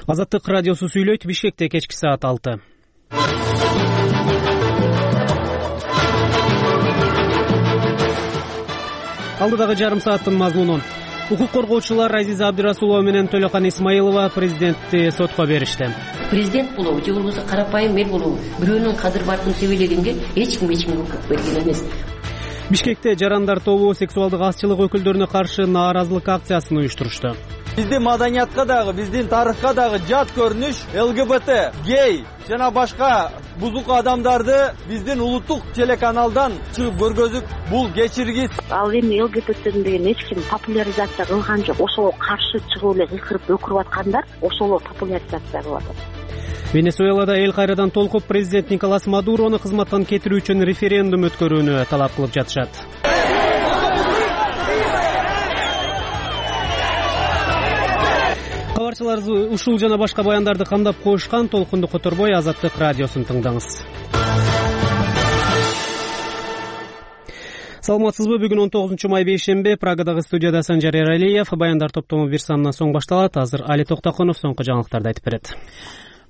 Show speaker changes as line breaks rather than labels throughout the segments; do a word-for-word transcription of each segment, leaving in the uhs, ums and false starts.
Азаттык радиосу сүйлөйт. Бишкекте кечки саат алты. Алдыдагы жарым сааттын мазмуну. Укук коргоочулар Азиза Абдырасулова менен Төлөкан Исмаилова президентти сотко беришти.
Президент болобу же болбосо карапайым эл болобу бирөөнүн кадыр бартын себелегенге эч ким эч кимге укук берген эмес.
Бишкекте жарандар тобу сексуалдык азчылык өкүлдөрүнө каршы нааразылык акциясын уюштурушту.
Биздин маданиятка дагы, биздин тарыхка дагы жат көрүнүш эл гэ бэ тэ, гей жана башка бузук адамдарды биздин улуттук телеканалдан чыгып көргөзүп, бул кечиргис.
Ал эми эл гэ бэ тэ деген эч ким популяризация кылган жок. Ошого каршы чыгып эле кыйкырып өкүрүп аткандар ошолор популяризация кылып атат.
Венесуэлада эл кайрадан толкуп президент Николас Мадурону кызматтан кетирүү үчүн референдум өткөрүүнү талап кылып жатышат. Кабарчылар ушул жана башка баяндарды камдап коюшкан. Толкунду которбой Азаттык радиосун тыңдаңыз. Саламатсызбы? Бүгүн он тогузунчу май бейшемби. Прагадагы студияда Санжар Эралиев. Баяндар топтому бир санынан соң башталат. Азыр Али Токтоконов соңку жаңылыктарды айтып берет.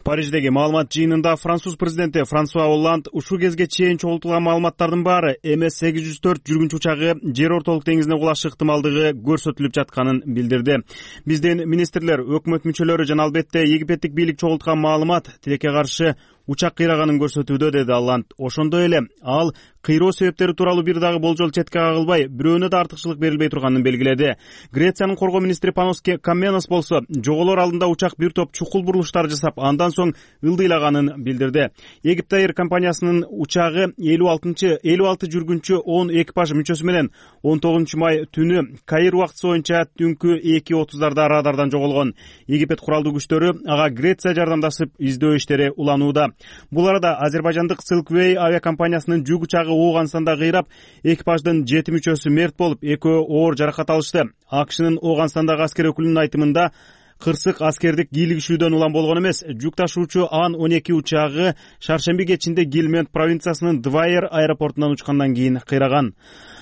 Париждеги маалымат жыйынында француз президенти Франсуа Олланд ушул кезге чейин чогултулган маалыматтардын баары эм эс сегиз жүз төрт жүргүнчү учагы жер ортолук деңизине кулашы ыктымалдыгы көрсөтүлүп жатканын билдирди. Биздин министрлер, өкмөт мүчөлөрү жана албетте египеттик бийлик чогулткан маалымат тилекке каршы учак кыйраганын көрсөтүүдө, деди Олланд. Ошондой эле ал кыйроо себептери тууралуу бир дагы болжол четке кагылбай, бирөөнө да артыкчылык берилбей турганын белгиледи. Грециянын коргоо министри Панос Каменос болсо жоголор алдында учак бир топ чукул бурулуштар жасап, андан соң ылдыйлаганын билдирди. Египет Air компаниясынын учагы элүү алтынчы элүү алты жүргүнчү он экипаж мүчөсү менен он тогузунчу май түнү Каир убактысы боюнча түнкү эки отуздарда радардан жоголгон. Египет куралдуу күчтөрү ага Греция жардамдашып издөө иштери уланууда. Бул арада азербайжандык Silkway авиакомпаниясынын жүк учагы Ооганстанда кыйрап, экипаждын жети мүчөсү мерт болуп, экөө оор жаракат алышты. АКШнын Ооганстандагы аскер өкүлүнүн айтымында кырсык аскердик кийлигишүүдөн улам болгон эмес. Жүк ташуучу Ан он эки учагы шаршемби кечинде Гилмент провинциясынын Двайер аэропортунан учкандан кийин кыйраган.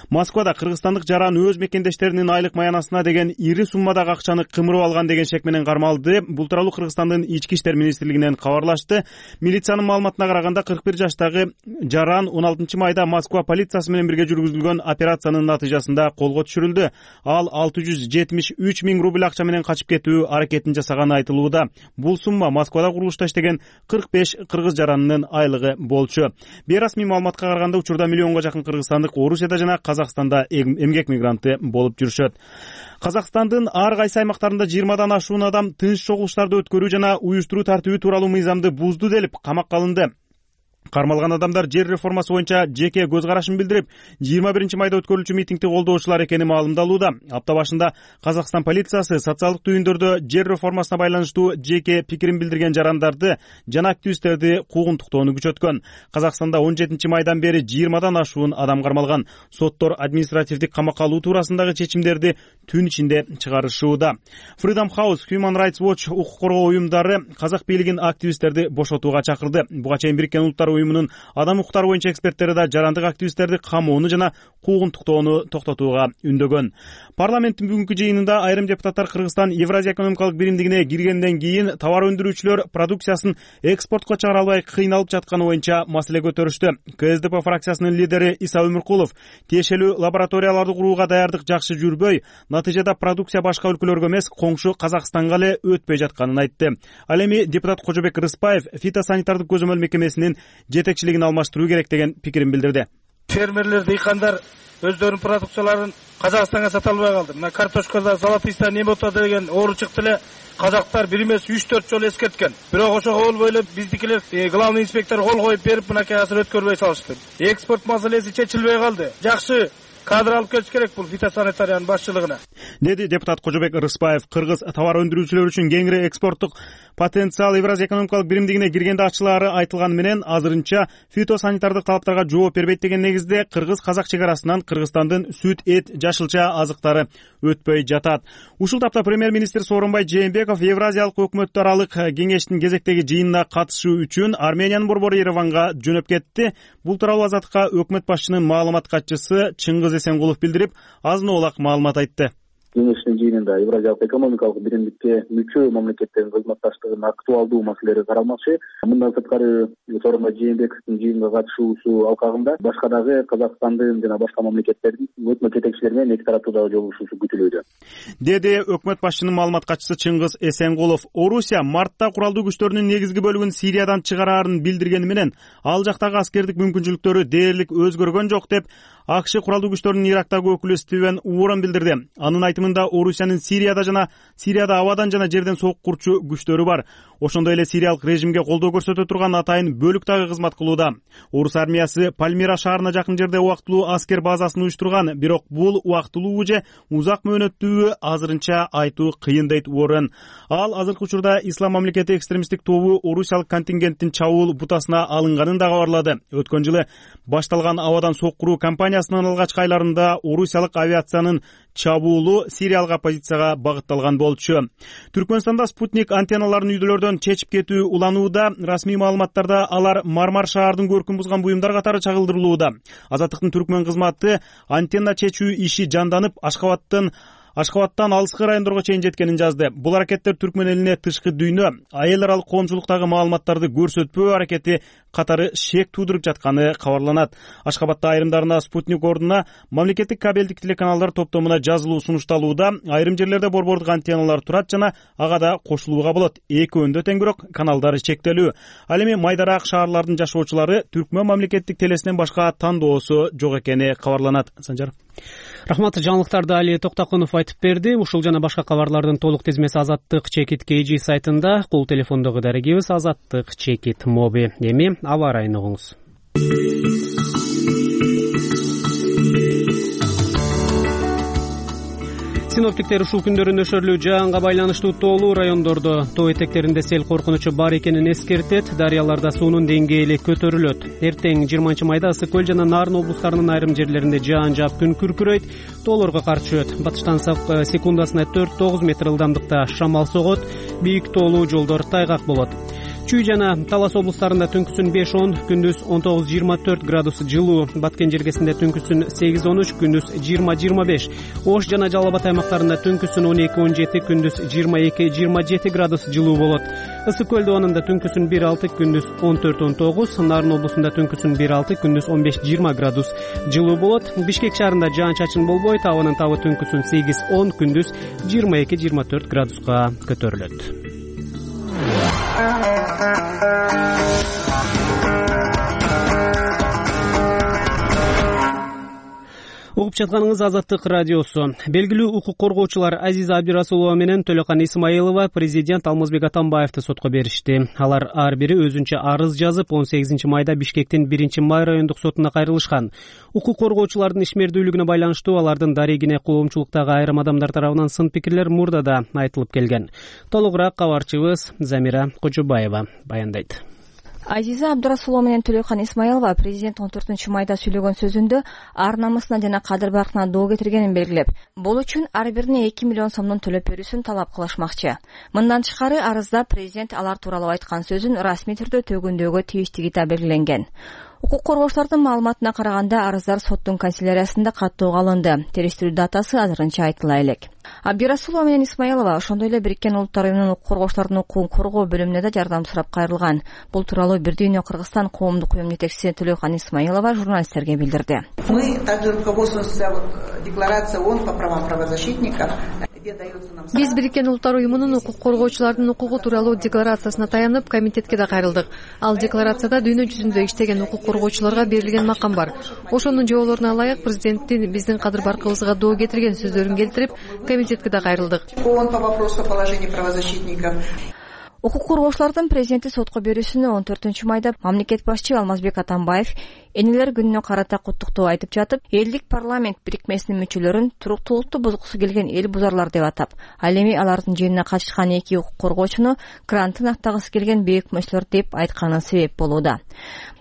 Москвада кыргызстандык жаран өз мекендештеринин айлык маянасына деген ири суммадагы акчаны кымырып алган деген шек менен кармалды. Бул тууралуу Кыргызстандын ички иштер министрлигинен кабарлашты. Милициянын маалыматына караганда кырк бир жаштагы жаран он алтынчы майда Москва полициясы менен бирге жүргүзүлгөн операциянын натыйжасында колго түшүрүлдү. Ал алты жүз жетимиш үч миң рубль акча менен качып кетүү аракетин жасаганы айтылууда. Бул сумма Москвада курулушта иштеген кырк беш кыргыз жаранынын айлыгы болчу. Бейрасмий маалыматка караганда учурда миллионго жакын кыргызстандык Орусияда жана Казакстанда эмгек мигранты болуп жүрүшөт. Казакстандын ар кайсы аймактарында жыйырмадан ашуун адам тынч чогулуштарды өткөрүү жана уюштуруу тартиби тууралуу мыйзамды бузду делип камакка алынды. Кармалган адамдар жер реформасы боюнча жеке көз карашын билдирип, жыйырма биринчи майда өткөрүлчү митингди колдоочулар экени маалымдалууда. Апта башында Казакстан полициясы социалдык түйүндөрдө жер реформасына байланыштуу жеке пикирин билдирген жарандарды жана активисттерди куугунтуктоону күчөткөн. Казакстанда он жетинчи майдан бери жыйырмадан ашуун адам кармалган. Соттор административдик камакка алуу туурасындагы чечимдерди түн ичинде чыгарышууда. Freedom House, Human Rights Watch укук коргоо уюмдары казак бийлигин активисттерди бошотууга чакырды. Буга чейин Бириккен Улуттар уюмунун адам укуктары боюнча эксперттери да жарандык активисттерди камоону жана куугунтуктоону токтотууга үндөгөн. Парламенттин бүгүнкү жыйынында айрым депутаттар Кыргызстан Евразия экономикалык биримдигине киргенден кийин товар өндүрүүчүлөр продукциясын экспортко чыгара албай кыйналып жатканы боюнча маселе көтөрүштү. ка эс дэ пэ фракциясынын лидери Иса Өмүркулов тиешелүү лабораторияларды курууга даярдык жакшы жүрбөй, натыйжада продукция башка өлкөлөргө эмес, коңшу Казакстанга эле өтпөй жатканын айтты. Ал эми депутат Кожобек Рыспаев фитосанитардык көзөмөл мекемесинин жетекчилигин алмаштыруу керек деген пикирин билдирди.
Фермерлер, дыйкандар өздөрүнүн продукцияларын Казакстанга сата албай калды. Мына картошкада золотыйста немота деген оору чыкты эле. Казактар бир эмес үч төрт жолу эскерткен. Бирок ошого болбой эле биздикилер главный инспектор кол коюп берип, мынакей азыр өткөрбөй салышты. Экспорт маселеси чечилбей калды. Жакшы кадр алып келиш керек бул фитосанитариянын башчылыгына,
деди депутат Кожобек Рыспаев. Кыргыз товар өндүрүүчүлөр үчүн кеңири экспорттук потенциал Евразия экономикалык биримдигине киргенде ачылаары айтылганы менен азырынча фитосанитардык талаптарга жооп бербейт деген негизде кыргыз-казак чек арасынан Кыргызстандын сүт, эт, жашылча азыктары өтпөй жатат. Ушул тапта премьер-министр Сооронбай Жээнбеков Евразиялык өкмөт аралык кеңештин кезектеги жыйынына катышуу үчүн Армениянын борбору Ереванга жөнөп кетти. Бул тууралуу Азаттыкка өкмөт башчынын маалымат катчысы Чыңгыз Эсенгулов билдирип, азын оолак маалымат айтты.
кеңештин жыйынында Евразиялык экономикалык биримдикке мүчө мамлекеттердин кызматташтыгынын актуалдуу маселелери каралмакчы. Мындан сырткары Сооронбай Жээнбековдун жыйынга катышуусу алкагында башка дагы Казакстандын жана башка мамлекеттердин өкмөт жетекчилери менен эки тараптуу дагы жолугушуусу күтүлүүдө,
деди өкмөт башчынын маалымат катчысы Чыңгыз Эсенгулов. Орусия мартта куралдуу күчтөрүнүн негизги бөлүгүн Сириядан чыгараарын билдиргени менен ал жактагы аскердик мүмкүнчүлүктөрү дээрлик өзгөргөн жок деп АКШ куралдуу күчтөрүнүн Ирактагы өкүлү Стивен Уоррен билдирди. Анын айтымында Орусиянын Сирияда жана Сирияда абадан жана жерден сок курчу күчтөрү бар. Ошондой эле сириялык режимге колдоо көрсөтө турган атайын бөлүк дагы кызмат кылууда. Орус армиясы Пальмира шаарына жакын жерде убактылуу аскер базасын уюштурган, бирок бул убактылуу же узак мөөнөттүү азырынча айтуу кыйын дейт Уоррен. Ал азыркы учурда Ислам мамлекети экстремисттик тобу орусиялык контингенттин чабуул бутасына алынганын да кабарлады. Өткөн жылы башталган абадан сок куруу кампаниясынын алгачкы айларында орусиялык авиациянын чабуулу сириялык оппозицияга багытталган болчу. Түркмөнстанда спутник антенналарын үйдөлөрдөн чечип кетүү уланууда. Расмий маалыматтарда алар Мармар шаардын көркүн бузган буюмдар катары чагылдырылууда. Азаттыктын түркмөн кызматы антенна чечүү иши жанданып, Ашкабадтын Ашкабадтан алыскы райондорго чейин жеткенин жазды. Бул аракеттер түркмөн элине тышкы дүйнө, айыл аралык коомчулуктагы маалыматтарды көрсөтпөө аракети катары шек туудуруп жатканы кабарланат. Ашкабадта айрымдарына спутник ордуна мамлекеттик кабелдик телеканалдар топтомуна жазылуу сунушталууда. Айрым жерлерде борбордук антенналар турат жана ага да кошулууга болот. Экөөндө тең, бирок каналдары чектелүү. Ал эми майдараак шаарлардын жашоочулары түркмөн мамлекеттик телесинен башка тандоосу жок экени кабарланат. Санжар.
Рахмат, жаңылыктарды Али Токтакунов айтып берди. Ушул жана башка кабарлардын толук тизмеси Азаттык чекит кей жи сайтында, кол телефондогу дарегибиз Азаттык чекит моби. Эми аба ырайын угуңуз. Синоптиктер ушул күндөрү нөшөрлүү жаанга байланыштуу тоолуу райондордо тоо этектеринде сел коркунучу бар экенин эскертет. Дарыяларда суунун деңгээли көтөрүлөт. Эртең жыйырманчы майда Ысык көл жана Нарын облустарынын айрым жерлеринде жаан жаап күн күркүрөйт, тоолорго кар түшөт. Батыштан секундасына төрт тогуз метр ылдамдыкта шамал согот, бийик тоолуу жолдор тайгак болот. Чүй жана Талас облустарында түнкүсүн беш он, күндүз он тогуз жыйырма төрт градус жылуу. Баткен жергесинде түнкүсүн сегиз он үч, күндүз жыйырма жыйырма беш. Ош жана Жалал Абад аймактарында түнкүсүн он эки он жети, күндүз жыйырма эки жыйырма жети градус жылуу болот. Ысык көл доонунда түнкүсүн бир алты, күндүз он төрт он тогуз. Нарын облусунда түнкүсүн бир алты, күндүз он беш жыйырма градус жылуу болот. Бишкек шаарында жаан-чачын болбойт. Абанын табы түнкүсүн сегиз он, күндүз жыйырма эки жыйырма төрт градуска көтөрүлөт. Угуп жатканыңыз Азаттык радиосу. Белгилүү укук коргоочулар Азиза Абдирасулова менен Төлөкан Исмаилова президент Алмазбек Атамбаевди сотко беришти. Алар ар бири өзүнчө арыз жазып, он сегизинчи майда Бишкектин биринчи май райондук сотуна кайрылышкан. Укук коргоочулардын ишмердүүлүгүнө байланыштуу алардын дарегине коомчулуктагы айрым адамдар тарабынан сын пикирлер мурда да айтылып келген. Толугураак кабарчыбыз Замира Кожобаева баяндайт.
Азиза Абдырасулова менен Төлөкан Исмаилова президент он төртүнчү майда сүйлөгөн сөзүндө ар намысына жана кадыр баркына доо кетиргенин белгилеп, бул үчүн ар бирине эки миллион сомдон төлөп берүүсүн талап кылышмакчы. Мындан тышкары арызда президент алар тууралуу айткан сөзүн расмий түрдө төгүндөөгө тийиштиги да белгиленген. Укук коргоочулардын маалыматына караганда арыздар соттун канцеляриясында каттоого алынды. Териштирүү датасы азырынча айтыла элек. Абдирасулова менен Исмаилова ошондой эле Бириккен Улуттар уюмунун укук коргоочулардын укугун коргоо бөлүмүнө да жардам сурап кайрылган. Бул тууралуу Бир дүйнө Кыргызстан коомдук уюмунун жетекчиси Төлөкан Исмаилова журналисттерге билдирди.
Мы также руководствуемся декларацией ООН по правам правозащитников.
Биз Бириккен Улуттар уюмунун укук коргоочулардын укугу тууралуу декларациясына таянып, комитетке да кайрылдык. Ал декларацияда дүйнө жүзүндө иштеген укук коргоочуларга берилген макам бар. Ошонун жоолоруна ылайык президенттин биздин кадыр баркыбызга доо кетирген сөздөрүн келтирип, комитетке да кайрылдык.
ООН по вопросу о положении правозащитников.
Укук коргоочулардын президенти сотко берүүсүнө он төртүнчү майда мамлекет башчы Алмазбек Атамбаев энелер күнүнө карата куттуктоо айтып жатып, элдик парламент бирикмесинин мүчөлөрүн туруктуулукту бузгусу келген эл бузарлар деп атап, ал эми алардын жыйынына катышкан эки укук коргоочуну грантын актагысы келген бейөкмөчүлөр деп айтканы себеп болууда.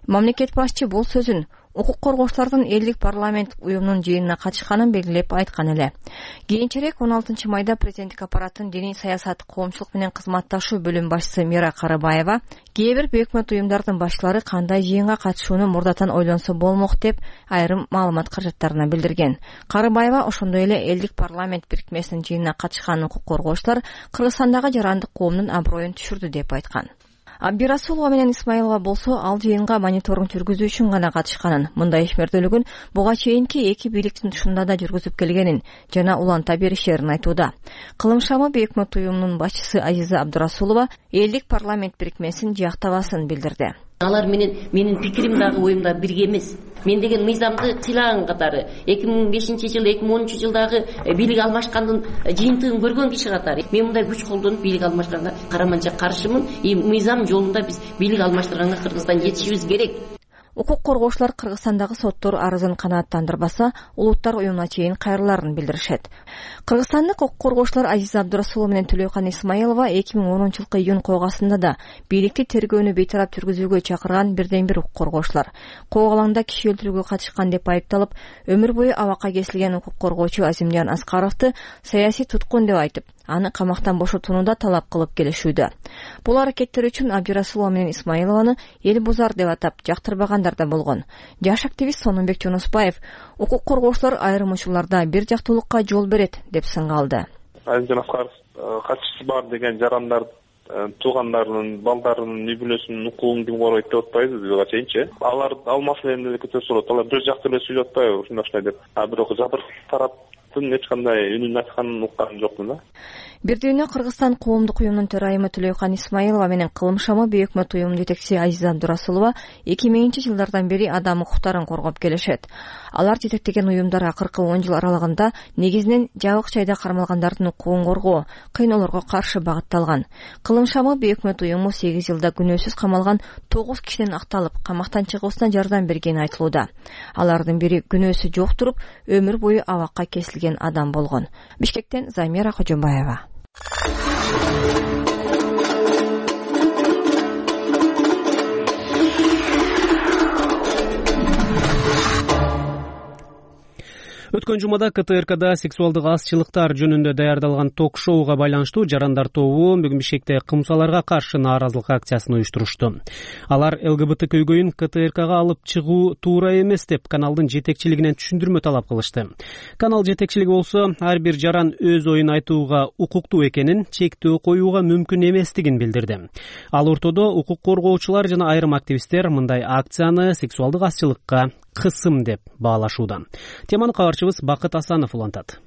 Мамлекет башчы бул сөзүн укук коргоочулардын элдик парламенттик уюмунун жыйынына катышканын белгилеп айткан эле. Кийинчерээк он алтынчы майда президенттик аппараттын диний саясат, коомчулук менен кызматташуу бөлүм башчысы Мира Карыбаева кээ бир өкмөт уюмдардын башчылары кандай жыйынга катышууну мурдатан ойлонсо болмок деп айрым маалымат каражаттарына билдирген. Карыбаева ошондой эле элдик парламент бирикмесинин жыйынына катышкан укук коргоочулар Кыргызстандагы жарандык коомдун аброюн түшүрдү деп айткан. Абдирасулова менен Исмаилова болсо ал жыйынга мониторинг жүргүзүү үчүн гана катышканын, мындай ишмердүүлүгүн буга чейинки эки бийликтин тушунда да жүргүзүп келгенин жана уланта беришерин айтууда. Кылым шамы өкмөт уюмунун башчысы Азиза Абдырасулова элдик парламент бирикмесин жактабасын билдирди.
Алар менен менин пикирим дагы оюм да бирге эмес. Мен деген мыйзамды сыйлаган катары эки миң бешинчи жыл, эки миң онунчу жылдагы бийлик алмашкандын жыйынтыгын көргөн киши катары мен мындай күч колдонуп бийлик алмаштырганга караманча каршымын. И мыйзам жолунда биз бийлик алмаштырганга Кыргызстан жетишибиз керек.
Укук коргоочулар Кыргызстандагы соттор арызын канааттандырбаса, улуттар уюмуна чейин кайрыларын билдиришет. Кыргызстандык укук коргоочулар Азиза Абдырасулова менен Төлөкан Исмаилова эки миң онунчу жылкы июнь койгасында да бийликти тергөөнү бейтарап жүргүзүүгө чакырган бирден бир укук коргоочулар. Коо алаңда киши өлтүрүүгө катышкан деп айыпталып, өмүр бою абакка кесилген укук коргоочу Азимжан Аскаровду саясий туткун деп айтып, аны камактан бошотууну да талап кылып келишүүдө. Бул аракеттер үчүн Абдирасулова менен Исмаилованы эл бузар деп атап жактырбагандар да болгон. Жаш активист Сонунбек Жунусбаев укук коргоочулар айрым учурларда бир жактуулукка жол берет деп сынга алды.
Азимжан Аскаров катчысы бар деген жарандар туугандарынын, балдарынын, үй бүлөсүнүн укугун ким коргойт деп атпайбыз буга чейинчи. Алар ал маселени эле көтөрүп сурат. Алар бир жакты эле сүйлөп атпайбы ушундай деп. А бирок жабыр тарап эч кандай үнүн айтканын уккан жокмун да.
Бирдене Кыргызстан коомдук уюмунун төрайымы Төлөкан Исмаилова менен Кылым шамы өкмөт уюмунун жетекчиси Азиза Абдырасулова эки миңинчи жылдардан бери адам укуктарын коргоп келишет. Алар жетектеген уюмдар акыркы он жыл аралыгында негизинен жабык жайда кармалгандардын укугун коргоо, кыйноолорго каршы багытталган. Кылым шамы өкмөт уюму сегиз жылда күнөөсүз камалган тогуз кишиден акталып, камактан чыгуусуна жардам бергени айтылууда. Алардын бири күнөөсү жок туруп, өмүр бою абакка кесилген адам болгон. Бишкектен Замира Кожобаева.
Өткөн жумада КТРКда сексуалдык азчылыктар жөнүндө даярдалган ток-шоуга байланыштуу жарандар тобу бүгүн Бишкекте кымсаларга каршы нааразылык акциясын уюштурушту. Алар ЛГБТ көйгөйүн КТРКга алып чыгуу туура эмес деп каналдын жетекчилигинен түшүндүрмө талап кылышты. Канал жетекчилиги болсо ар бир жаран өз оюн айтууга укуктуу экенин, чектөө коюуга мүмкүн эместигин билдирди. Ал ортодо укук коргоочулар жана айрым активисттер мындай акцияны сексуалдык азчылыкка кысым деп баалашууда. Теманы кабарчыбыз Бакыт Асанов улантат.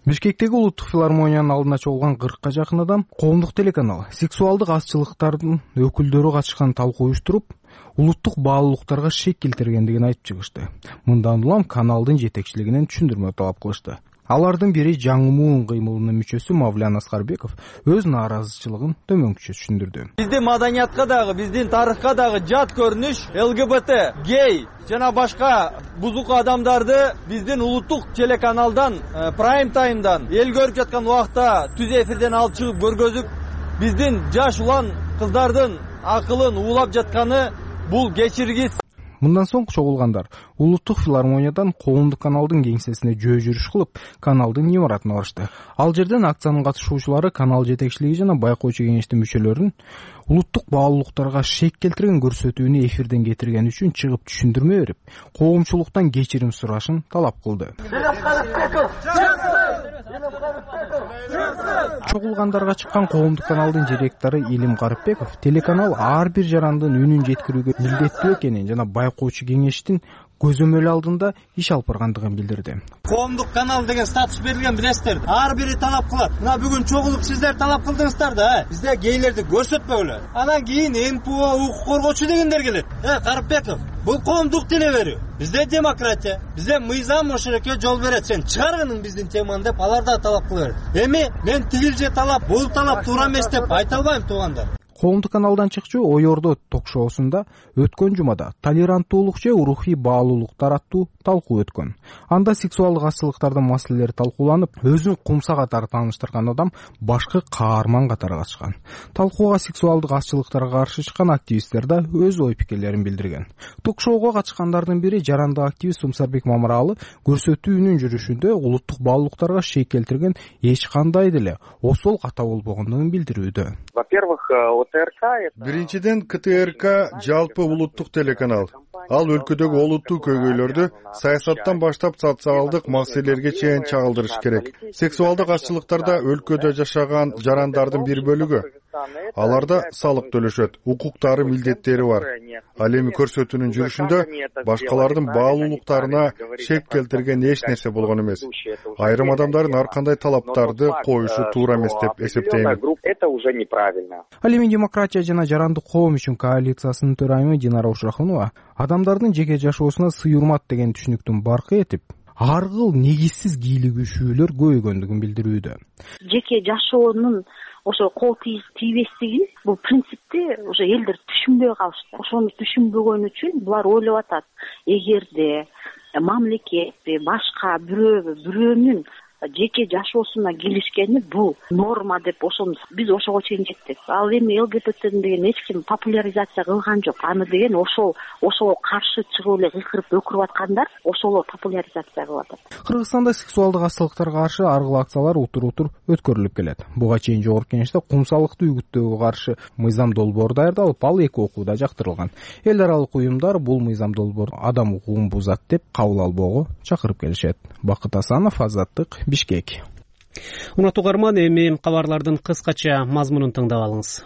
Бишкектеги улуттук филармониянын алдына чогулган кыркка жакын адам коомдук телеканал сексуалдык азчылыктардын өкүлдөрү катышкан талкуу уюштуруп, улуттук баалуулуктарга шек келтиргендигин айтып чыгышты. Мындан улам каналдын жетекчилигинен түшүндүрмө талап кылышты. Алардын бири жаңымуун кыймылынын мүчөсү Мавлян Аскарбеков өз нааразычылыгын төмөнкүчө түшүндүрдү.
Биздин маданиятка дагы, биздин тарыхка дагы жат көрүнүш ЛГБТ, гей жана башка бузук адамдарды биздин улуттук телеканалдан, прайм таймдан, эл көрүп жаткан убакта түз эфирден алып чыгып көргөзүп, биздин жаш улан кыздардын акылын уулап жатканы бул кечиргис.
Мындан соң чогулгандар улуттук филармониядан коомдук каналдын кеңсесине жөө жүрүш кылып, каналдын имаратына барышты. Ал жерден акциянын катышуучулары канал жетекчилиги жана байкоочу кеңештин мүчөлөрүн улуттук баалуулуктарга шек келтирген көрсөтүүнү эфирден кетирген үчүн чыгып түшүндүрмө берип, коомчулуктан кечирим сурашын талап кылды. Чогулгандарга чыккан коомдук каналдын директору Илим Карыпбеков телеканал ар бир жарандын үнүн жеткирүүгө милдеттүү экенин жана байкоочу кеңештин көзөмөл алдында иш алып баргандыгын билдирди.
Коомдук канал деген статус берилген билесиздер. Ар бири талап кылат. Мына бүгүн чогулуп сиздер талап кылдыңыздар да, бизде гейлерди көрсөтпөгүлө. Анан кийин эм пэ о укук коргоочу дегендер келет. Э, Карыпбеков, бул коомдук деле берүү. Бизде демократия, бизде мыйзам ошолекке жол берет. Сен чыгаргының биздин теманы деп алар да талап кылат. Эми мен тигил же талап, бул талап туура эмес деп айта албайм, туугандар.
Коомдук каналдан чыкчу Ой Ордо ток-шоусунда өткөн жумада толеранттуулук же рухий баалуулуктар аттуу талкуу өткөн. Анда сексуалдык азчылыктардын маселелери талкууланып, өзүн кумса катары тааныштырган адам башкы каарман катары катышкан. Талкууга сексуалдык азчылыктарга каршы чыккан активисттер да өз ой пикирлерин билдирген. Ток-шоуга катышкандардын бири жарандык активист Сумсарбек Мамыралы көрсөтүүнүн жүрүшүндө улуттук баалуулуктарга шек келтирген эч кандай деле осол ката болбогондугун билдирүүдө.
Во-первых, ОТРК это... Биринчиден, КТРК жалпы улуттук телеканал. Ал өлкөдөгү олуттуу көйгөйлөрдү саясаттан баштап социалдык маселелерге чейин чагылдырыш керек. Сексуалдык азчылыктарда өлкөдө жашаган жарандардын бир бөлүгү. Аларда салык төлөшөт, укуктары, милдеттери бар. Ал эми көрсөтүүнүн жүрүшүндө башкалардын баалуулуктарына шек келтирген эч нерсе болгон эмес. Айрым адамдардын ар кандай талаптарды коюшу туура эмес деп эсептейм.
Это уже неправильно. Ал эми демократия жана жарандык коом үчүн коалициясынын төрайымы Динара Ушрахунова адамдардын жеке жашоосуна сый урмат деген түшүнүктүн баркы этип, ар кыл негизсиз кийлигишүүлөр көбөйгөндүгүн билдирүүдө.
Жеке жашоонун ошо кол тийбестигин бул принципти уже элдер түшүнбөй калышты. Ошону түшүнбөгөн үчүн булар ойлоп атат, эгерде мамлекет башка бирөө бирөөнүн жеке жашоосуна киришкени бул норма деп ошону биз ошого чейин жеттик. Ал эми ЛГБТ деген эч ким популяризация кылган жок. Аны деген ошол ошого каршы чыгып эле кыйкырып өкүрүп аткандар ошолор популяризация кылып атат.
Кыргызстанда сексуалдык азчылыктарга каршы ар кыл акциялар утур-утур өткөрүлүп келет. Буга чейин жогорку кеңеште кумсалыкты үгүттөөгө каршы мыйзам долбоор даярдалып, ал эки окууда жактырылган. Эл аралык уюмдар бул мыйзам долбоор адам укугун бузат деп кабыл албоого чакырып келишет. Бакыт Асанов, Азаттык, Бишкек.
Урматтуу угарман, эми кабарлардын кыскача мазмунун тыңдап алыңыз.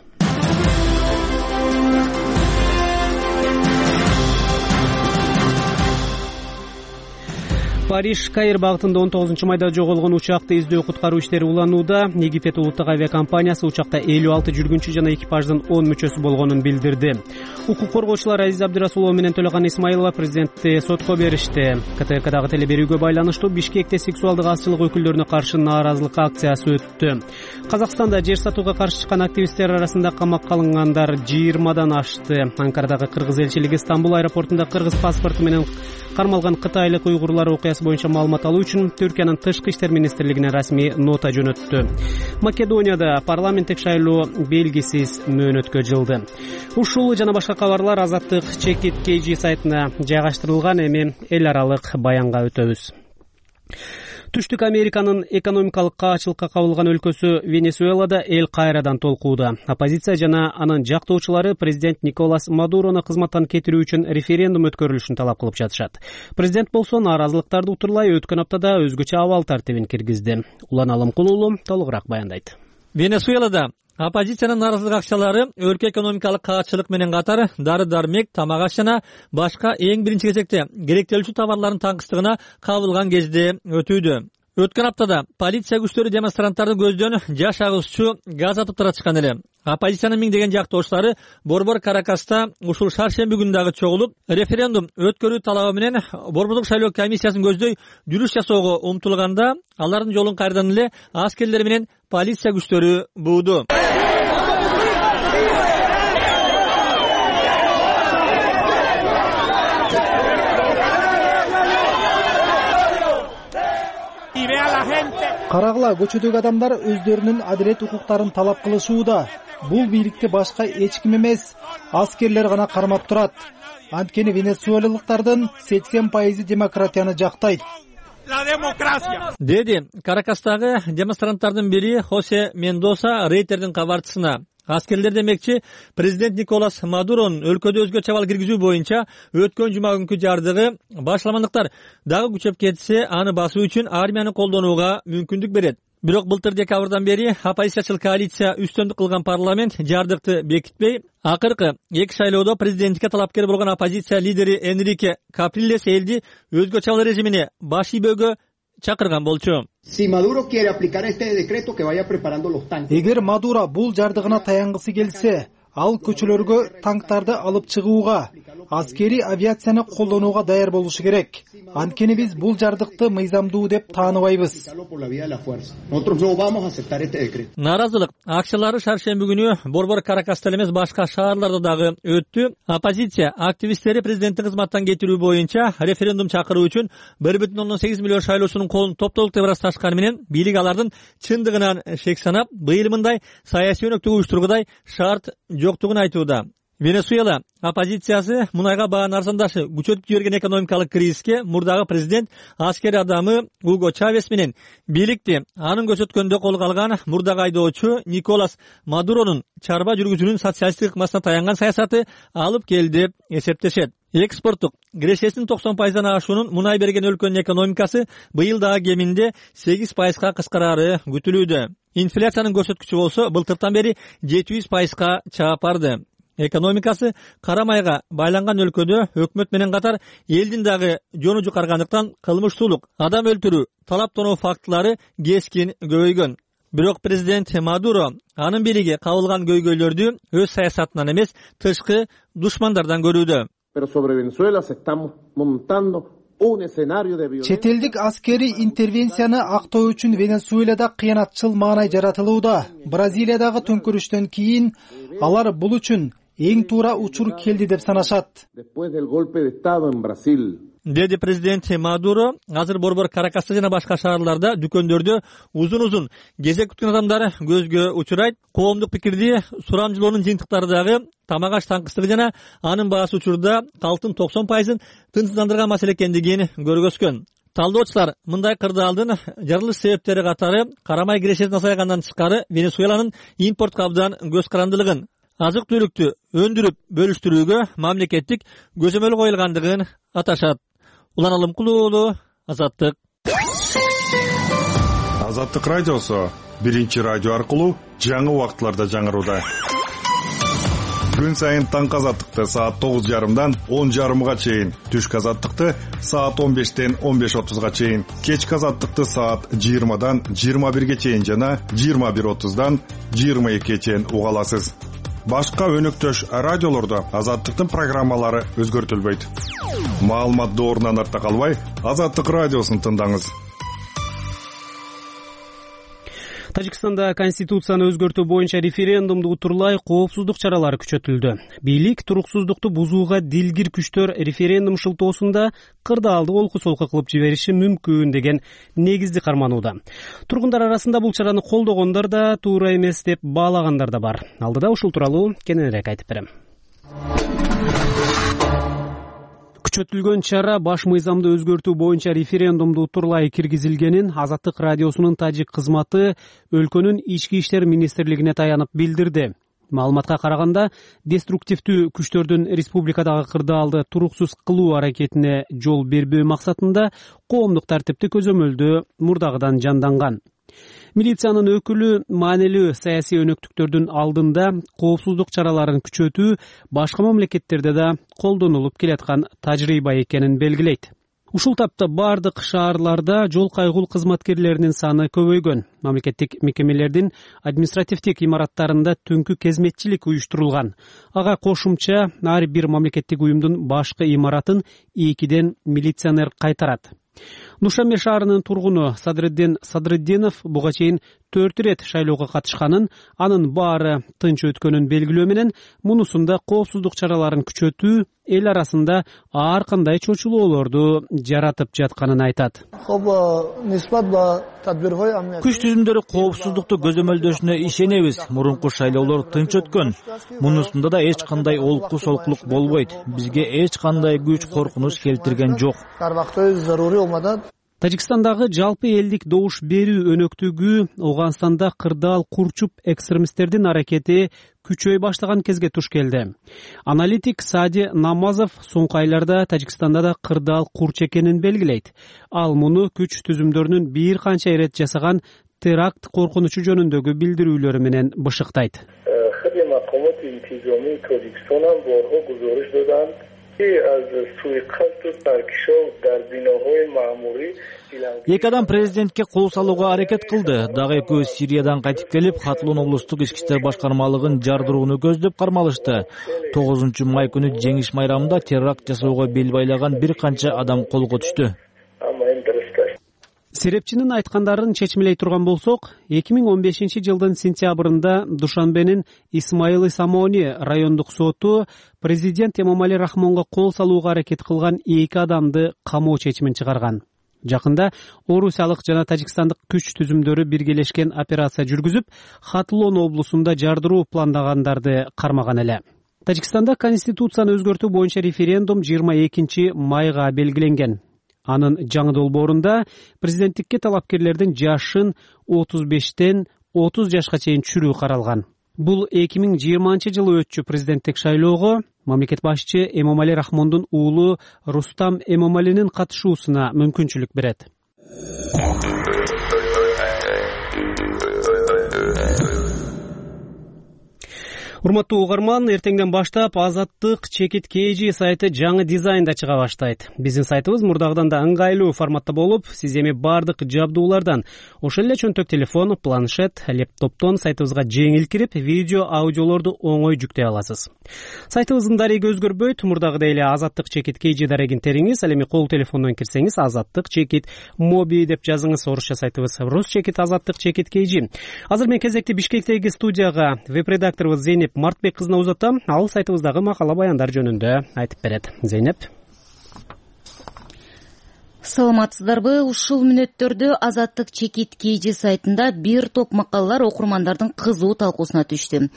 Париж Каир багытында он тогузунчу майда жоголгон учакты издөө куткаруу иштери уланууда. Египет улуттук авиакомпаниясы учакта элүү алты жүргүнчү жана экипаждын он мүчөсү болгонун билдирди. Укук коргоочулар Азиз Абдырасулова менен Төлөган Исмаилова президентти сотко беришти. КТРКдагы телеберүүгө байланыштуу Бишкекте сексуалдык азчылык өкүлдөрүнө каршы нааразылык акциясы өттү. Казакстанда жер сатууга каршы чыккан активисттер арасында камакка алынгандар жыйырмадан ашты. Анкарадагы кыргыз элчилиги Стамбул аэропортунда кыргыз паспорту менен кармалган кытайлык уйгурлар окуясы боюнча маалымат алуу үчүн Түркиянын тышкы иштер министрлигине расмий нота жөнөттү. Македонияда парламенттик шайлоо белгисиз мөөнөткө жылды. Ушул жана башка кабарлар Азаттык Чекит кей жи сайтына жайгаштырылган. Эми эл аралык баянга өтөбүз. Түштүк Американын экономикалык каачылыкка кабылган өлкөсү Венесуэлада эл кайрадан толкууда. Оппозиция жана анын жактоочулары президент Николас Мадурону кызматтан кетирүү үчүн референдум өткөрүлүшүн талап кылып жатышат. Президент болсо нааразылыктарды утурлай өткөн аптада өзгөчө абал тартибин киргизди. Улан Алымкулуулу толугураак баяндайт.
Венесуэлада оппозициянын нааразылык акчалары өлкө экономикалык каачылык менен катар дары-дармек, тамак аш жана башка эң биринчи кезекте керектелүүчү товарлардын таңкыстыгына кабылган кезде өтүүдө. Өткөн аптада полиция күчтөрү демонстранттардын көздөн жаш агызчу газ атып таратышкан эле. Оппозициянын миңдеген жактоочулары Борбор Каракаста ушул шаршемби күнү дагы чогулуп, референдум өткөрүү талабы менен Борбордук шайлоо комиссиясын көздөй жүрүш жасоого умтулганда, алардын жолун кайрадан эле аскерлер менен полиция күчтөрү бууду.
Карагыла, көчөдөгү адамдар өздөрүнүн адилет укуктарын талап кылышууда. Бул бийликти башка эч ким эмес, аскерлер гана кармап турат. Анткени венесуэлалыктардын сексен пайызы демократияны жактайт.
Деди Каракастагы демонстранттардын бири Хосе Мендоса Рейтердин кабарчысына. Аскерлер демекчи, президент Николас Мадуронун өлкөдө өзгөчө абал киргизүү боюнча өткөн жума күнкү жардыгы башламандыктар дагы күчөп кетсе, аны басуу үчүн армияны колдонууга мүмкүндүк берет. Бирок былтыр декабрдан бери оппозициячыл коалиция үстөндүк кылган парламент жардыкты бекитпей, акыркы эки шайлоодо президенттикке талапкер болгон оппозиция лидери Энрике Каприлес элди өзгөчө абал режимине баш ийбөөгө чакырган болчу.
Эгер Мадуро бул жардыгына таянгысы келсе, ал көчөлөргө танктарды алып чыгууга, аскерий авиацияны колдонууга даяр болушу керек. Анткени биз бул жардыкты мыйзамдуу деп тааныбайбыз.
Нааразылык акциялары шаршемби күнү Борбор Каракаста эмес башка шаарларда дагы өттү. Оппозиция активисттери президенттин кызматтан кетирүү боюнча референдум чакыруу үчүн бир бүтүн ондон сегиз миллион шайлоочунун колун топтолук деп ырасташканы менен бийлик алардын чындыгынан шек санап, быйыл мындай саясий өнөктүк уюштургудай шарт жоктугун айтууда. Венесуэла оппозициясы мунайга баанын арзандашы күчөтүп жиберген экономикалык кризиске мурдагы президент аскер адамы Уго Чавес менен бийликти анын көрсөткөндө колго алган мурдагы айдоочу Николас Мадуронун чарба жүргүзүүнүн социалисттик ыкмасына таянган саясаты алып келди деп эсептешет. Экспорттук кирешесинин токсон пайыздан ашуунун мунай берген өлкөнүн экономикасы быйыл дагы кеминде сегиз пайызга кыскарары күтүлүүдө. Инфляциянын көрсөткүчү болсо былтыртан бери жети жүз пайызга чаап барды. Экономикасы кара майга байланган өлкөдө өкмөт менен катар элдин дагы жону жукаргандыктан кылмыштуулук, адам өлтүрүү, талап тоноо фактылары кескин көбөйгөн. Бирок президент Мадуро анын бийлиги кабылган көйгөйлөрдү өз саясатынан эмес, тышкы душмандардан көрүүдө.
Чет элдик аскерий интервенцияны актоо үчүн Венесуэлада кыянатчыл маанай жаратылууда. Бразилиядагы төңкөрүштөн кийин алар бул үчүн эң туура учур келди деп санашат.
Деди президент Мадуро. Азыр Борбор Каракаста жана башка шаарларда дүкөндөрдө узун-узун кезек күткөн адамдар көзгө учурайт. Коомдук пикирди сурамжылоонун жыйынтыктары дагы тамак аш таңкыстыгы жана анын баасы учурда калктын токсон пайызын тынчсыздандырган маселе экендигин көргөзгөн. Талдоочулар мындай кырдаалдын жарылыш себептери катары карамай кирешесин азайгандан тышкары Венесуэланын импортко абдан көз карандылыгын, азык түлүктү өндүрүп бөлүштүрүүгө мамлекеттик көзөмөл коюлгандыгын аташат. Улан Алымкулуу уулу, Азаттык.
Азаттык радиосу биринчи радио аркылуу жаңы убакытларда жаңырууда. Күн сайын таңкы азаттыкты саат тогуз жарымдан он жарымга чейин, түшкү азаттыкты саат он бештен он беш отузга чейин, кечки азаттыкты саат жыйырмадан жыйырма бирге чейин жана жыйырма бир отуздан жыйырма экиге чейин уга аласыз. Башка өнөктөш радиолордо азаттыктын программалары өзгөртүлбөйт. Маалымат доорунан артта калбай, Азаттык радиосун тыңдаңыз.
Тажикстанда конституцияны өзгөртүү боюнча референдумду утурлай коопсуздук чаралары күчөтүлдү. Бийлик туруксуздукту бузууга дилгир күчтөр референдум шылтоосунда кырдаалды олку-солку кылып жибериши мүмкүн деген негизди карманууда. Тургундар арасында бул чараны колдогондор да, туура эмес деп баалагандар да бар. Алдыда ушул тууралуу кененирээк айтып берем. Күчөтүлгөн чара баш мыйзамды өзгөртүү боюнча референдумду утурлай киргизилгенин Азаттык радиосунун тажик кызматы өлкөнүн ички иштер министрлигине таянып билдирди. Маалыматка караганда, деструктивдүү күчтөрдүн республикадагы кырдаалды туруксуз кылуу аракетине жол бербөө максатында коомдук тартипти көзөмөлдөө мурдагыдан жанданган. Милициянын өкүлү маанилүү саясий өнөктүктөрдүн алдында коопсуздук чараларын күчөтүү башка мамлекеттерде да колдонулуп келаткан тажрыйба экенин белгилейт. Ушул тапта бардык шаарларда жол кайгул кызматкерлеринин саны көбөйгөн. Мамлекеттик мекемелердин административдик имараттарында түнкү кезметчилик уюштурулган. Ага кошумча ар бир мамлекеттик уюмдун башкы имаратын экиден милиционер кайтарат. Нушаме шаарынын тургуну Садриддин Садриддинов буга чейин төрт ирет шайлоого катышканын, анын баары тынч өткөнүн белгилөө менен мунусунда коопсуздук чараларын күчөтүү эл арасында ар кандай чочулоолорду жаратып жатканын айтат.
Күч түзүмдөрү коопсуздукту көзөмөлдөшүнө ишенебиз. Мурунку шайлоолор тынч өткөн. Мунусунда да эч кандай олку солкулук болбойт. Бизге эч кандай күч коркунуч келтирген жок.
Тажикстандагы жалпы элдик добуш берүү өнөктүгү Ооганстанда кырдаал курчуп экстремисттердин аракети күчөй баштаган кезге туш келди. Аналитик Сади Намазов соңку айларда Тажикстанда да кырдаал курч экенин белгилейт. Ал муну күч түзүмдөрүнүн бир канча ирет жасаган теракт коркунучу жөнүндөгү билдирүүлөрү менен бышыктайт.
эки адам президентке кол салууга аракет кылды. Дагы экөөсү Сириядан кайтып келип, Хатлон облустук ички иштер башкармалыгын жардырууну көздөп кармалышты. тогузунчу май күнү жеңиш майрамында теракт жасоого бел байлаган бир канча адам колго түштү.
Серепчинин айткандарын чечмелей турган болсок, эки миң он бешинчи жылдын сентябрында Душанбенин Исмаил Самони райондук соту президент Эмомали Рахмонго кол салууга аракет кылган эки адамды камоо чечимин чыгарган. Жакында орусиялык жана тажикстандык күч түзүмдөрү биргелешкен операция жүргүзүп, Хатлон облусунда жардыруу пландагандарды кармаган эле. Тажикстанда конституцияны өзгөртүү боюнча референдум жыйырма экинчи майга белгиленген. Анын жаңы долбоорунда президенттикке талапкерлердин жашын отуз бештен отуз жашка чейин түшүрүү каралган. Бул эки миң жыйырманчы жылы өтчү президенттик шайлоого мамлекет башчы Эмомали Рахмондун уулу Рустам Эмомалинин катышуусуна мүмкүнчүлүк берет. Урматтуу угарман, эртеңден баштап Азаттык Чекит Кей Жи сайты жаңы дизайнда чыга баштайт. Биздин сайтыбыз мурдагыдан да ыңгайлуу форматта болуп, сиз эми бардык жабдуулардан, ошол эле чөнтөк телефон, планшет, лептоптон сайтыбызга жеңил кирип, видео, аудиолорду оңой жүктөй аласыз. Сайтыбыздын дареги өзгөрбөйт, мурдагыдай эле Азаттык Чекит Кей Жи дарегин териңиз, ал эми кол телефондон кирсеңиз Азаттык Чекит Моби деп жазыңыз, орусча сайтыбыз Рус Чекит Азаттык Чекит Кей Жи. Азыр мен кезекти Бишкектеги студияга веб-редакторубуз Зейнеп Мартбек кызына узатам. Ал сайтыбыздагы макала баяндар жөнүндө айтып берет. Зейнеп.
Саламатсыздарбы? Ушул мүнөттөрдө Азаттык Чекит Кей Жи сайтында бир топ макалалар окурмандардын кызуу талкуусуна түштү.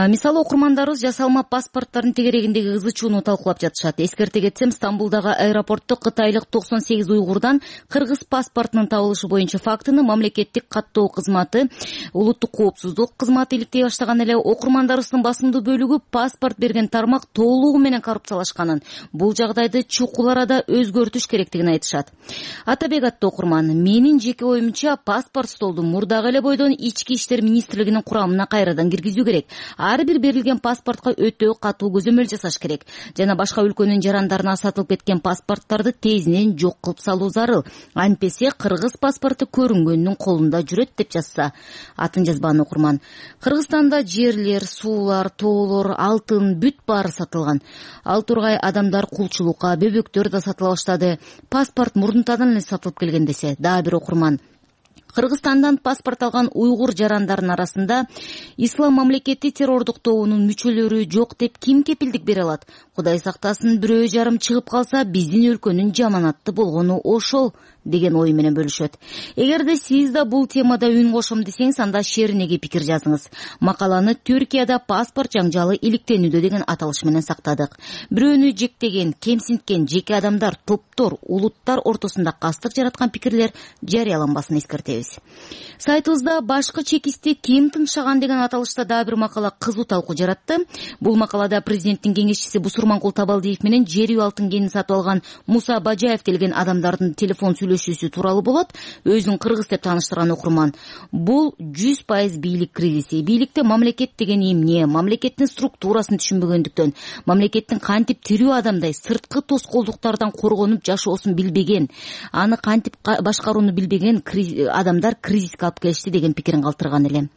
Мисалы, окурмандарыбыз жасалма паспорттардын тегерегиндеги ызы чууну талкуулап жатышат. Эскерте кетсем, Стамбулдагы аэропортто кытайлык токсон сегиз уйгурдан кыргыз паспортунун табылышы боюнча фактыны мамлекеттик каттоо кызматы, улуттук коопсуздук кызматы иликтей баштаган эле. Окурмандарыбыздын басымдуу бөлүгү паспорт берген тармак толугу менен коррупциялашканын, бул жагдайды чукул арада өзгөртүш керектигин айтышат. Атабек аттуу окурман, менин жеке оюмча паспорт столду мурдагы эле бойдон ички иштер министрлигинин курамына кайрадан киргизүү керек. Ар бир берилген паспортко өтө катуу көзөмөл жасаш керек жана башка өлкөнүн жарандарына сатылып кеткен паспорттарды тезинен жок кылып салуу зарыл. Антпесе кыргыз паспорту көрүнгөндүн колунда жүрөт деп жазса. Атын жазбаган окурман. Кыргызстанда жерлер, суулар, тоолор, алтын, бүт баары сатылган. Ал тургай адамдар кулчулукка, бөбөктөр да сатыла баштады. Паспорт мурдунтадан эле сатылып келген десе. Дагы бир окурман. Кыргызстандан паспорт алган уйгур жарандарынын арасында ислам мамлекети террордук тобунун мүчөлөрү жок деп ким кепилдик бере алат? Кудай сактасын, бирөө жарым чыгып калса, биздин өлкөнүн жаманатты болгону ошол деген ой менен бөлүшөт. Эгерде сиз да бул темада үн кошом десеңиз, анда шериneге пикир жазыңыз. Макаланы Түркияда паспорт жаңжалы иликтенүүдө деген аталыш менен сактадык. Бирөөнү жектеген, кемсинткен жеке адамдар, топтор, улуттар ортосунда кастык жараткан пикирлер жарыяланбасын эскертебиз. Сайтыбызда башкы чекисти ким тыншаган деген аталышта дагы бир макала кызуу талкуу жаратты. Бул макалада президенттин кеңешчиси Бусурманкул Табалдиев менен жер үй алтын кенин сатып алган Муса Бажаев деген адамдардын телефон сүйлөшүүсү тууралуу болот. Өзүн кыргыз деп тааныштырган окурман. Бул жүз пайыз бийлик кризиси. Бийликте мамлекет деген эмне, мамлекеттин структурасын түшүнбөгөндүктөн, мамлекеттин кантип тирүү адамдай сырткы тоскоолдуктардан коргонуп жашоосун билбеген, аны кантип башкарууну билбеген адамдар кризиске алып келишти деген пикирин калтырган эле.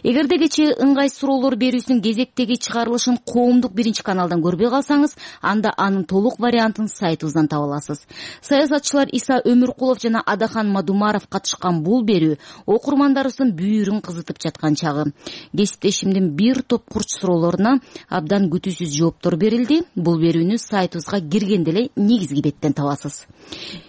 Эгерде кечээ ыңгай суроолор берүүсүнүн кезектеги чыгарылышын коомдук биринчи каналдан көрбөй калсаңыз, анда анын толук вариантын сайтыбыздан таба аласыз. Саясатчылар Иса Өмүркулов жана Адахан Мадумаров катышкан бул берүү окурмандарыбыздын бүйүрүн кызытып жаткан чагы. Кесиптешимдин бир топ курч суроолоруна абдан күтүүсүз жооптор берилди. Бул берүүнү сайтыбызга киргенде эле негизги беттен табасыз.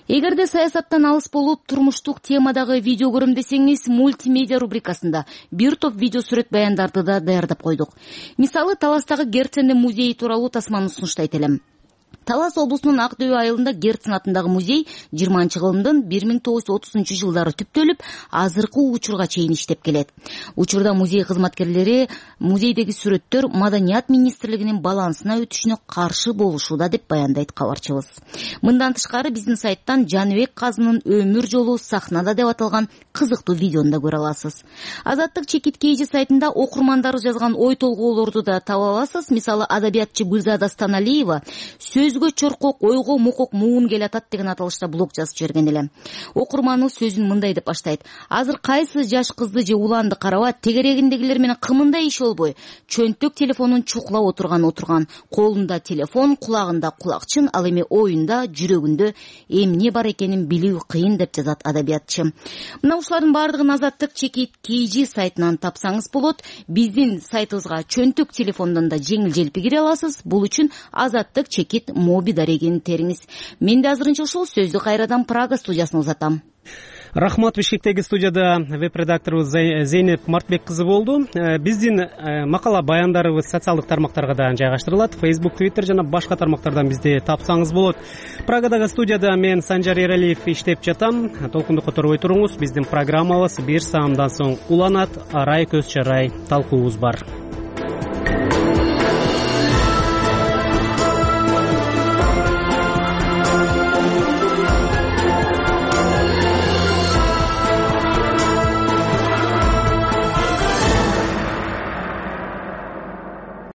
Эгерде саясаттан алыс болуп, турмуштук темадагы видео көрөм десеңиз, мультимедиа рубрикасында бир топ видео сүрөт баяндарды да даярдап койдук. Мисалы, Таластагы Герцен музейи тууралуу тасманы сунуштайт элем. Талас облусунун Ак Дөбө айылында Герцен атындагы музей жыйырманчы кылымдын бир миң тогуз жүз отузунчу жылдары түптөлүп, азыркы учурга чейин иштеп келет. Учурда музей кызматкерлери музейдеги сүрөттөр Маданият министрлигинин балансына өтүшүнө каршы болушууда деп баяндайт кабарчыбыз. Мындан тышкары биздин сайттан Жаныбек Казынын өмүр жолу сахнада деп аталган кызыктуу видеону да көрө аласыз. Азаттык Чекит Кей Жи сайтында окурмандар жазган ой толгоолорду да таба аласыз. Мисалы, адабиятчы Гүлзада Станалиева сөз көзгө чоркок, ойго мокок муун келатат деген аталышта блог жазып жиберген эле. Окурманыбыз сөзүн мындай деп баштайт: азыр кайсы жаш кызды же уланды караба, тегерегиндегилер менен кымындай иш болбой, чөнтөк телефонун чукулап отурган отурган, колунда телефон, кулагында кулакчын, ал эми оюнда, жүрөгүндө эмне бар экенин билүү кыйын деп жазат адабиятчы. Мына ушулардын баардыгын Азаттык чекит kg сайтынан тапсаңыз болот. Биздин сайтыбызга чөнтөк телефондон да жеңил-желпи кире аласыз. Бул үчүн Азаттык чекит моби дарегин териңиз. Мен да азырынча ушул сөздү кайрадан Прага студиясына узатам.
Рахмат. Бишкектеги студияда веб-редакторубуз Зейнеп Мартбек кызы болду. Биздин макала баяндарыбыз социалдык тармактарга да жайгаштырылат. Facebook, Twitter жана башка тармактардан бизди тапсаңыз болот. Прагадагы студияда мен Санжар Эралиев иштеп жатам. Толкунду которбой туруңуз. Биздин программабыз бир саамдан соң уланат. Арай көз чарай талкуубуз бар.